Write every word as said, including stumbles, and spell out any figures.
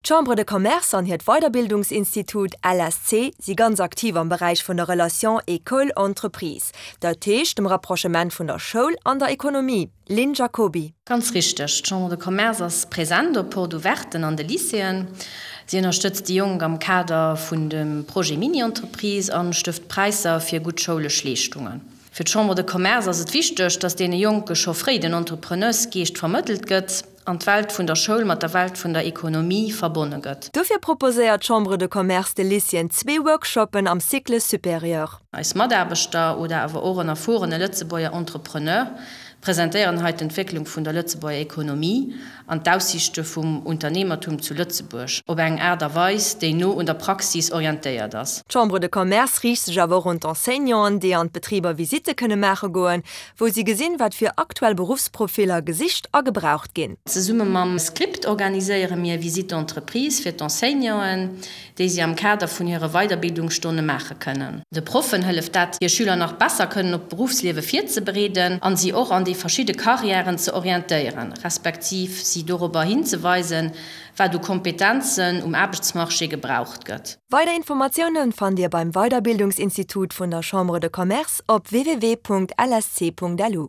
D'Chambre de Commerce an hiert Weiderbildungsinstitut L S C si ganz aktiv am Beräich vun der Relation École-Entreprise, dat heescht dem Rapprochement vun der Schoul an der Ekonomie. Lynn Jacoby. Ganz richteg, d'Chambre de Commerce ass present op Porte-ouverten an de Lycéeën. Si ënnerstëtzt déi Jonk am Kader vun dem Projet Mini-Entreprise an stëft Präisser fir gutt schoulesch Leeschtungen. Fir d'Chambre de Commerce ass et wichteg, datt deene Jonke scho fréi den Entrepreneursgeescht vermëttelt gëtt an d'Welt vun der Schoul mat der Welt vun der Ekonomie verbonne gëtt. Dofir proposéiert d'Chambre de Commerce de Lycéeën zwee Workshoppen am Cycle supérieur. Eis Mataarbechter oder awer och en erfuerene Lëtzebuerger Entrepreneur presentéieren hei d'Entwécklung vun der Lëtzebuerger Ekonomie an d'Aussiichte vum Unternehmertum zu Lëtzebuerg op eng Aart a Weis, déi no un der Praxis orientéiert ass. D'Chambre de Commerce riicht sech awer och un d'Enseignanten, déi an d'Betriber Visitte kënne maache goen, wou si gesinn, wat fir aktuell Beruffsprofiller gesicht a gebraucht ginn. Zesumme mam Script organiséiere mir Visite d'entreprise fir d'Enseignanten, déi si am Kader vun hire Weiderbildungsstonne maache kënnen. De Proffen hëlleft dat, hir Schüler nach besser kënnen op d'Beruffsliewe virzebereeden an si och an déi verschidde Karriären ze orientéieren, respektiv si dorobber hinzeweisen, wat u Kompetenzen um Aarbechtsmarché gebraucht gëtt. Weider Informatioune fannt Dir beim Weiderbildungsinstitut vun der Chambre de Commerce op W W W Punkt L S C Punkt L U.